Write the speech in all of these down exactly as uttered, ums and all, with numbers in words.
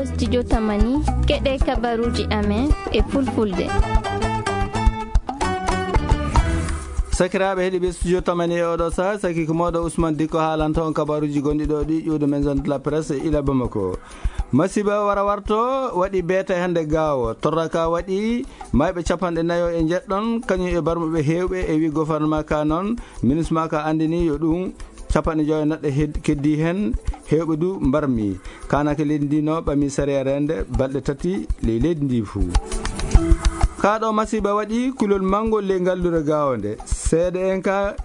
Studio Tamani, keɗee kabaruuji amen e fulfulde. Sakiraaɓe heɗiiɓe Studio Tamani e oɗo saa, saki ko mooɗo Ousmane Dikko haalanta on kabaruuji gonɗi ɗo ɗi ƴuwde maison de la presse e ila Bamako. Masiba wara warto waɗi beete hannde Gaawo. Torra ka waɗi mayɓe capanɗe nayo e njeɗɗon, kañum e barmuɓe heewɓe e wi gouvernement ka noon, ministre ma ka anndini yo ɗum capanɗe joyo neɗɗo hed-, keddi heen, heewɓe du mbarmi. Kaanake leydi ndi no ɓami sariya reende balɗe tati ley leydi ndi fuu. Kaa ɗo masiba waɗi kulol manngol ley ngallure Gaawo nde. Seeɗa en ka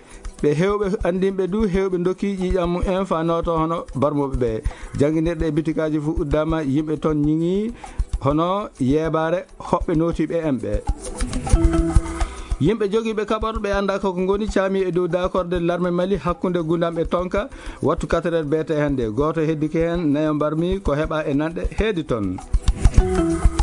ɓe heewɓe anndinɓe du, heewɓe ndokki ƴiiƴam mum en faa nooto hono barmuɓe ɓe. Jannginirɗe e bitikaaji fuu uddaama, yimɓe toon ñiŋi hono yeebaare hoɓɓe nootiiɓe en ɓe. Yimɓe jogiiɓe kaɓorɗe ɓe anndaa ko ko ngoni caami e dow daakorde larme Mali hakkunde Gundam e Tonka, wattu quatre heures beete hannde. Gooto heddike heen, nayo mbarmi ko heɓaa e nanɗe heedi toon.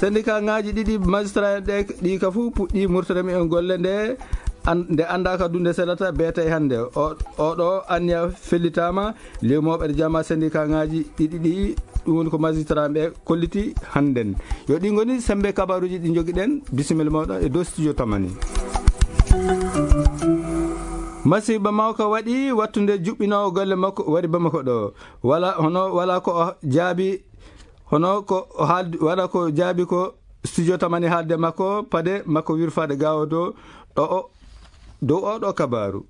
Sendikaaŋaaji ɗiɗi magistrat en ɗe, ɗi ka fuu puɗɗii murtere mumen golle nde, an-, nde anndaa ka dunde selata beete hannde. O, oɗo anniya fellitaama, lewmooɓe e jama sendikaaŋaaji ɗiɗi ɗi, ɗum woni ko magistrat ɓe kolliti hannden. Yo ɗi ngoni sembe kabaruuji ɗi njogiɗen. Bisimilla mooɗon e dow studio Tamani. Masiba mawka waɗi wattunde juɓɓinoowo golle makko wari Bamako ɗo. Wala, hono wala ko o jaabi, hono ko o haaldi, wala ko jaabi ko studio Tamani haalde makko, pade makko wirfaade Gaawo dow ɗo o, dow oɗo kabaru.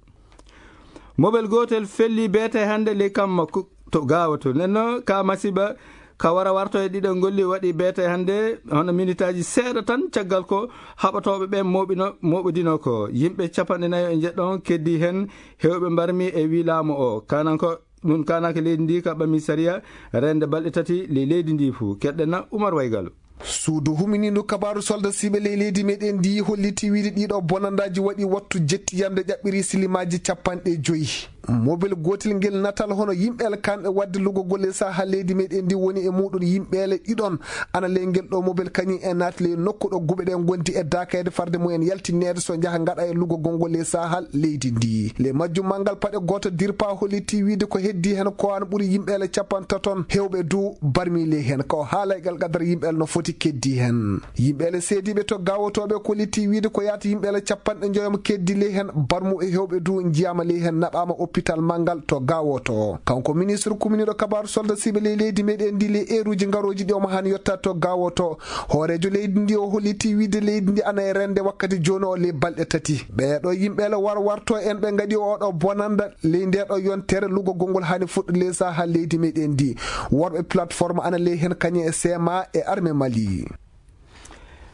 Mobel gootel felli beete hannde ley kam makko to Gaawo to. Nden no ka masiba ka wara warto e ɗiɗo ngolli waɗi beete hannde, hono minitaaji seeɗa tan caggal ko haɓotooɓe ɓe mooɓino, mooɓodino ko. Yimɓe capanɗe nayo e njeɗɗon keddi heen, heewɓe mbarmi e wii laamu o. Kanan ko ɗum kaanake leydi ndi ka ɓami sariya reende balɗe tati ley leydi ndi fuu. Keɗɗen na Umar Waygalu. Suudu huminiindu kabaaru solda siɓe ley leydi meɗen ndi holliti wiide ɗiɗo bonandaaji waɗi wattu jetti yande ƴaɓɓiri silimaaji capanɗe joyi. Mobel gootel ngel natal hono yimɓe alkanɓe waɗde lugogol e saha leydi meɗen ndi woni e muɗum yimɓeele ɗiɗon ana ley ngel ɗo mobel kañum e naati ley nokku ɗo guɓe ɗen gondi e daakayde farde mumen yaltinneede so njaha ngaɗa e lugogol ngol e saha leydi ndi. Ley majjum manngal paɗe gooto dirpa holliti wiide ko heddi hen ko an ɓuri yimɓeele capantaton hewɓe du barmi ley hen. Ko haala e gal qadar yimɓeele no foti keddi hen. Yimɓeele seediiɓe to gaawotooɓe kolliti wiide ko yaata yimɓeele capanɗe njoyo mo keddi ley hen, barmuɓe hewɓe du njiyaama ley hen, naɓaama oppital manngal to gaawoto. Kanko ministre kuminiiɗo kabaaru solda siɓe ley leydi meɗen ndi ley eeruuji ngarooji ɗi omo haan yotta to gaawoto. Hooreejo leydi ndi o holliti wiide leydi ndi ana e rende wakkati jooni o ley balɗe tati. Ɓeeɗo yimɓeele warwarto en ɓe ngaɗi oɗo bonanda ley ndeeɗo yontere lugogol ngol haani fuɗɗo ley saha leydi meɗen ndi. Worɓe plateforme ana ley hen kañe e C M A e armée Mali.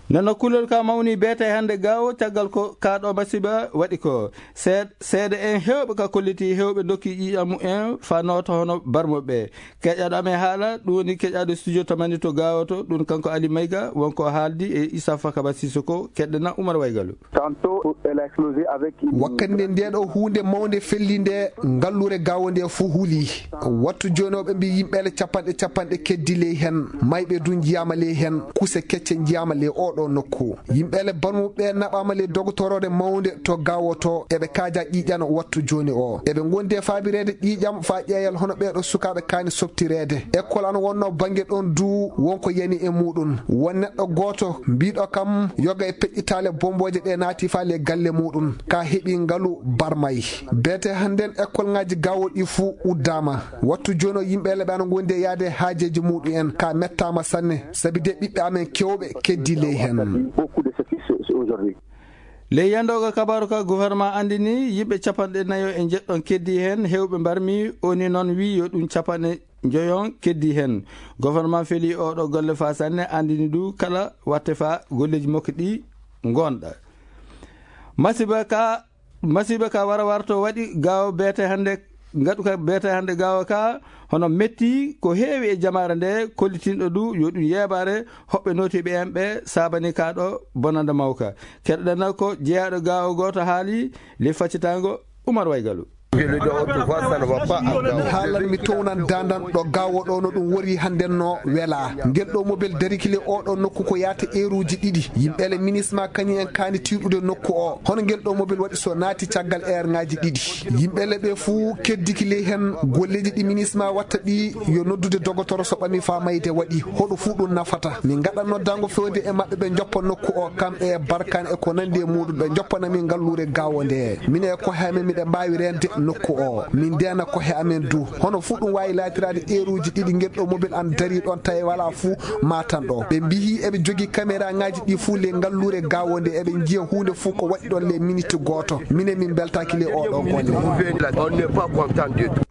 Nano kulol ka mawni beete hannde gaawo caggal ko kaa ɗo masiba waɗi ko. Seed-, seede en heewɓe ka kolliti heewɓe ndokki ƴiiƴam mumen faa nooto hono barmuɓe ɓe. Keƴaɗo amen haala, ɗum woni keƴaɗo studio Tamani to gaawoto, ɗum kanko Ali Mayga, wonko haaldi e Issa Fakaba Sissoko, keɗɗen na Umar Waygalu. Tantôt, elle a explosé avec une... Wakkati nde ndeeɗo huunde mawnde felli nde, ngallure gaawo nde fuu huli. Wattu jooni o ɓe mbii yimɓeele capanɗe capanɗe keddi ley hen, mayɓe du njiyaama ley hen, kuse kecce njiyaama ley oɗo nokku. Yimɓeele barmuɓe ɓe naɓaama ley dogotoroore mawnde to gaawoto, eɓe kaaja ƴiiƴan wattu jooni o. Eɓe ngondi e faabireede ƴiiƴam faa ƴeeyal hono ɓeeɗo sukaaɓe kaani softireede. Ekkol ana wonnoo bannge ɗon duu won ko yani e muuɗum. Won neɗɗo gooto mbiiɗo kam yoga e peƴƴitaale bommbooje ɗe naati faa ley galle muuɗum. Ka heɓi ngalu barmay. Beete hannden ekkolŋaaji gaawo ɗi fuu uddaama. Wattu jooni o yimɓeele ɓe ana ngondi e yaade e haajeeji muuɗum en. Ka mettaama sanne. Sabi de ɓiɓɓe amen keewɓe keddi ley hen. Beaucoup de ce qui se, se aujourd'hui. Ley yandooga kabaaru ka, gouvernement anndini yimɓe capanɗe nayo e njeɗɗon keddi heen, heewɓe mbarmi, o ni noon wii yo ɗum capanɗe njoyon keddi heen. Gouvernement feli oɗo golle faa sanne, anndini du kala watte faa golleeji makko ɗi ngonɗa. Masiba ka, masiba ka wara warto waɗi gaawo beete hannde, ngaɗu ka beete hannde gaawo ka, hono metti ko heewi e jamaare nde, kollitinɗo du yo ɗum yeebaare hoɓɓe nootiiɓe en ɓe saabani kaa ɗo bonannda mawka. Keɗoɗen na ko jeyaaɗo gaawo gooto haali ley faccitaango Umar Waygalu. Mi haalan, mi townan daandan ɗo gaawo ɗo no ɗum wori hannden no welaa. Ngel ɗoo mobel dariki le oo ɗoo nokku ko yaata eeruuji ɗiɗi. Yimɓe le minisma kañum en kaani tiiɗude nokku oo. Hono ngel ɗoo mobel waɗi so naati caggal eerŋaaji ɗiɗi. Yimɓe le ɓe fuu keddiki ley hen golleeji ɗi minisma watta ɗi yo noddude dogotoro so ɓami faa mayde waɗi. Hoɗo fuu ɗum nafata. Min ngaɗan noddaango feewde e maɓɓe ɓe njoppa nokku oo, kamɓe e barkaan e ko nanndi e muuɗum, ɓe njoppana min ngalluure gaawo ndee. Minen e kohe amen miɗen mbaawi reende nokku oo. Min ndeena kohe amen duu. Hono fuu ɗum waawi laatiraade eeruuji ɗiɗi ngel ɗoo mobel an darii ɗoon tawi walaa fuu maatan ɗoo. Ɓe mbiyi eɓe jogii kameraaŋaaji ɗii fuu ley ngalluure gaawo ndee, eɓe njiya huunde fuu ko waɗi ɗoon ley miniti gooto. Minen min mbeltaaki ley oo ɗoo golle. On n'est pas content du tout.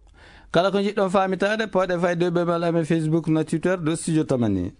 Kala ko njiɗɗon faamitaade, pooɗee fayde e bebal amen Facebook na Twitter dow Studio Tamani.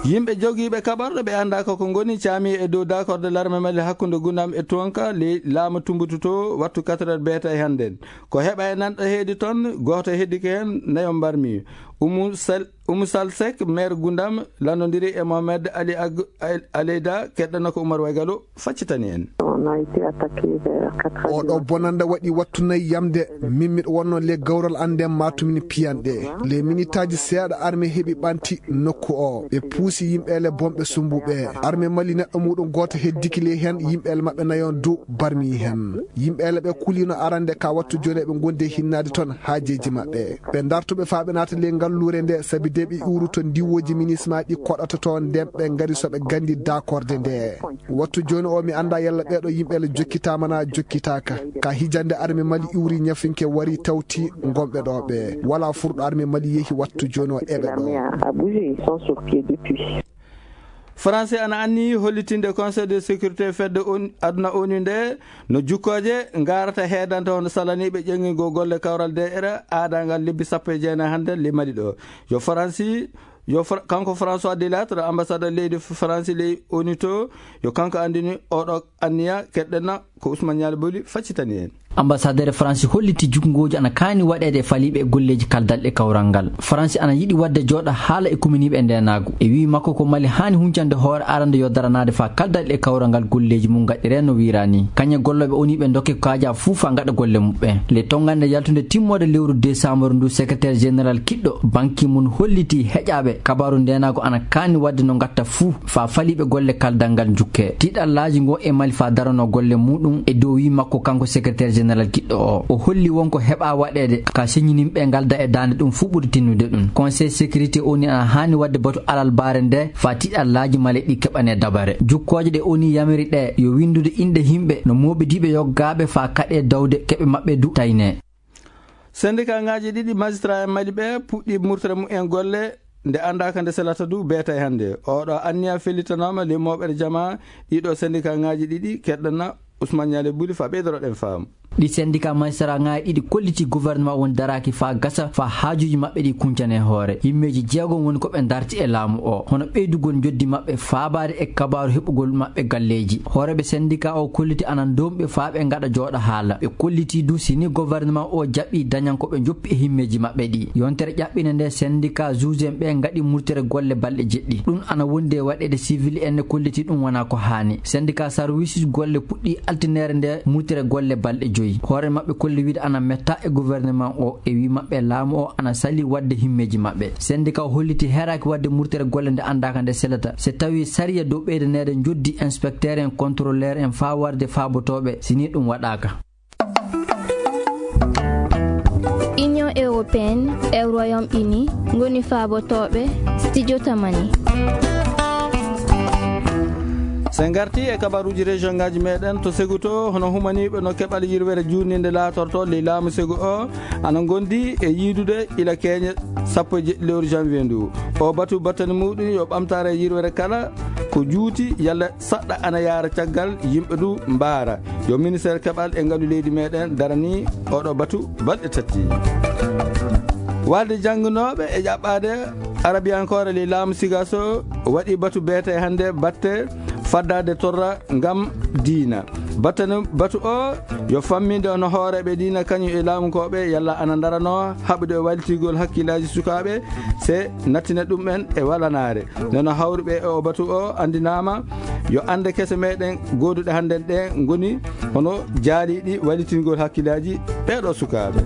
Yimɓe jogiiɓe kaɓorɗe ɓe anndaa ko ko ngoni caamii e dow daakorde larme Mali hakkunde Gundam e Tuwanka ley laamu Tumbutu to wattu quatre heures beeta e hannden. Ko heɓa e nanɗo heedi toon, gooto heddike heen, nayo mbarmi. Umu Sal-, Umu Sal Sek, maire Gundam, lanndondiri e Mohamed Ali Ag-, Al-, Aleyda, keɗɗana ko Umar Waygalo. Faccitani en. On a été attaqué vers quatre heures du matin. Oɗo bonannda waɗi wattu nayi yamde, min miɗo wonnoo ley gawral an nden maatumin piyanɗe. Ley minitaaji seeɗa arme heɓi ɓanti nokku o. Ɓe puusi yimɓe ele bonɓe sumbuɓe. Arme Mali neɗɗo muuɗum gooto heddiki ley hen, yimɓe ele maɓɓe nayon du barmi hen. Yimɓe ele ɓe kulino arande ka wattu jooni eɓe ngondi e hinnaade ton haajeeji maɓɓe. Ɓe darto ɓe faa ɓe naata ley ngalluure nde, sabi de ɓe iwru to ndiwooji minisma ɗi koɗata to nden ɓe ngari so ɓe gandi daakorde nde. Wattu jooni o, mi anndaa yalla ɓee ɗoo yimɓe le jokkitaama naa jokkitaaka. Ka hijannde arme Mali iwri ñafinke wari tawti ngonɓe ɗoo ɓee. Walaa furɗo arme Mali yehi wattu jooni o eɓe ɗoo. L'armée a, a bougé, ils sont sur pied depuis. Faransi ana anniyii hollitinde Conseil de sécurité fedde on-, aduna O N U nde no jukkooje ngarata heedanta hono salaniiɓe ƴeŋngingol golle kawral D R aadaangal lebbi sappo e jeenayi hannde ley Mali ɗoo. Yo Faransi Yo Fra-, kanko François Delattre, ambassadeur leydi F-, Faransi ley O N U to, yo kanko anndini oɗo anniya, keɗɗen na ko Ousmane Nialy Boli faccitani en. Ambassadeur Faransi holliti jukkungooji ana kaani waɗeede e faliiɓe e golleeji kaldal e kawral ngal. Faransi ana yiɗi waɗde jooɗa haala e kuminiiɓe e ndeenaagu. E wii makko ko Mali haani huncande hoore arande yo daranaade faa kaldal e kawral ngal golleeji mum ngaɗiree no wiiraa nii. Kañe gollooɓe O N U ɓe ndokke kaajaa fuu faa ngaɗa golle muɓɓen. Le tongannde yaltunde timmoode lewru desaambar ndu, secrétaire général kiɗɗo Ban Ki-moon hollitii heƴaaɓe kabaaru ndeenaagu ana kaani waɗde no ngatta fuu faa faliiɓe golle kaldal ngal njukkee. Tiiɗallaaji ngon e Mali faa daranoo golle muuɗum e dow wii makko kanko secrétaire général kiɗɗo o. O holli won ko heɓaa waɗeede ka señininɓe ngalda e daande ɗum fuu ɓuri tinnude ɗum. Conseil sécurité O N U ana haani waɗde batu alalbaare nde faa tiiɗallaaji Mali ɗi keɓanee dabare. Jukkooje ɗe O N U yamiri ɗee yo winndude inɗe yimɓe no mooɓidiiɓe yoggaaɓe faa kaɗee dawde keɓe maɓɓe du taynee. Sendikaaŋaaji ɗiɗi magistrat en Mali ɓe puɗɗii murtere mumen golle nde anndaaka nde selata du beeta e hannde. Oɗo anniya fellitanaama ley mooɓere jamaa ɗiɗo sendikaaŋaaji ɗiɗi, keɗɗana Ousmane Nialy Buli faa ɓeydoroɗen faamu. Ɗi sendikaa magistratŋaaji ɗiɗi kollitii gouvernement won daraaki faa gasa faa haajuuji maɓɓe ɗi kuncane hoore. Yimmeeji jeegom woni ko ɓe darti e laamu o, hono ɓeydugol njoddi maɓɓe faabaade e kabaaru heɓugol maɓɓe galleeji. Hooreeɓe sendikaa o kolliti ana ndomɓe faa ɓe ngaɗa jooɗa haala. Ɓe kollitii du si ni gouvernement o jaɓii dañan ko ɓe njoppi e himmeeji maɓɓe ɗi. Yontere ƴaɓɓinde nde sendikaa juge en ɓe ngaɗi murtere golle balɗe jeɗɗi. Ɗum ana wondi e waɗeede civil en ne kolliti ɗum wonaa ko haani. Sendikaa sarwiisuuji golle puɗɗii altineere nde murtere golle balɗe joyi. Hoore maɓɓe kolli wiide ana metta e gouvernement o e wii maɓɓe laamu o ana salii waɗde himmeeji maɓɓe. Sendikaa o holliti heeraaki waɗde murtere golle nde anndaaka nde selata. So tawii sariya dow ɓeydaneede njoddi inspecteur en, contrôleur en faa warde faabotooɓe si ni ɗum waɗaaka. Union européenne e Royaume-Uni ngoni faabotooɓe Studio Tamani. So en ngartii e kabaruuji région ŋaaji meeɗen to Segu to, hono humaniiɓe no keɓal yirwere juutninde laatortoo ley laamu Segu o ana ngondi e yiidude ila keeñe sappo e jeɗɗi lewru janvier ndu. O batu battane muuɗum yo ɓamtaare e yirwere kala ko juuti yalla saɗɗa ana yaara caggal yimɓe du mbaara. Yo ministeer keɓal e ngalu leydi meeɗen daranii oɗo batu balɗe tati. Walde jannginooɓe e ƴaɓɓaade arabiyankoore ley laamu Sigaso waɗi batu beete hannde batte faddaade torra ngam diina. Battane batu o yo famminde hono hooreeɓe diina kañum e laamunkooɓe yalla ana ndaranoo haɓude e wallitgol hakkillaaji sukaaɓe se nattina ɗum'en e walanaare. Nde no hawruɓe e o batu o anndinaama Yo annde kese meɗen gooduɗe hannden ɗee ngoni hono jaariiɗi wallitingol hakkillaaji ɓee ɗoo sukaaɓe.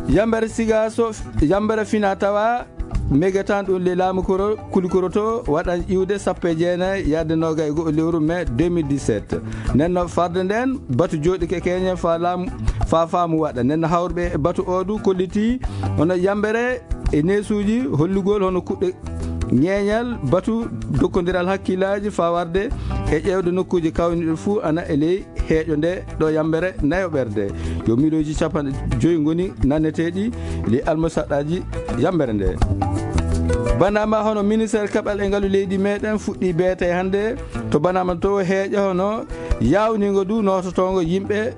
Yambere Sigaaso, yambere fina tawa megetaan ɗum le laamu koro, kuli koro to waɗan iwde sappo e jeenayi yaade noogay e go'o lewru mai deux mille dix-sept. Nden no farde nden, batu jooɗike keñe faa laamu, faa faamu waɗa. Nden no hawruɓe e batu oo du kolliti hono yambere e neesuuji hollugol hono kuɗɗe ñeeñal batu dokkondiral hakkillaaji faa warde e ƴeewde nokkuuji kawniɗo fuu ana e ley heeƴo nde ɗo yambere nayoɓerde. Yo miliyonji capanɗe joyi ngoni nanneteeɗi ley almusaɗɗaaji yambere nde. Banama hono ministeer kaɓal e ngalu leydi meɗen fuɗɗi beete hannde to banama to heeƴa hono yaawningo du noototoongo yimɓe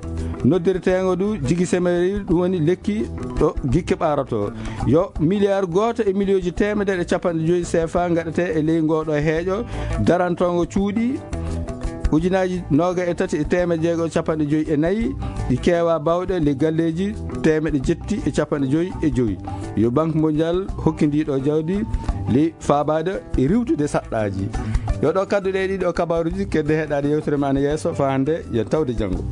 noddirteengo du jigi semeri, ɗum woni lekki ɗo gikke ɓaarotoo. Yo miliyar gooto e miliyonji teemedere e capanɗe joyi seefa ngaɗetee e ley ngoo ɗoo heeƴo darantoongo cuuɗi ujunaaji noogay e tati e teemedde jeego e capanɗe joyi e nayi, ɗi keewaa baawɗe ley galleeji teemedde jetti e capanɗe joyi e joyi. Yo Banque Mondiale hokki ndii ɗoo jawdi ley faabaade e riiwtude saɗɗaaji. Yo ɗoo kaddu ɗee ɗiɗo kabaaruuji kedde heɗaade yewtere men yeeso faa hannde yo tawde janngo.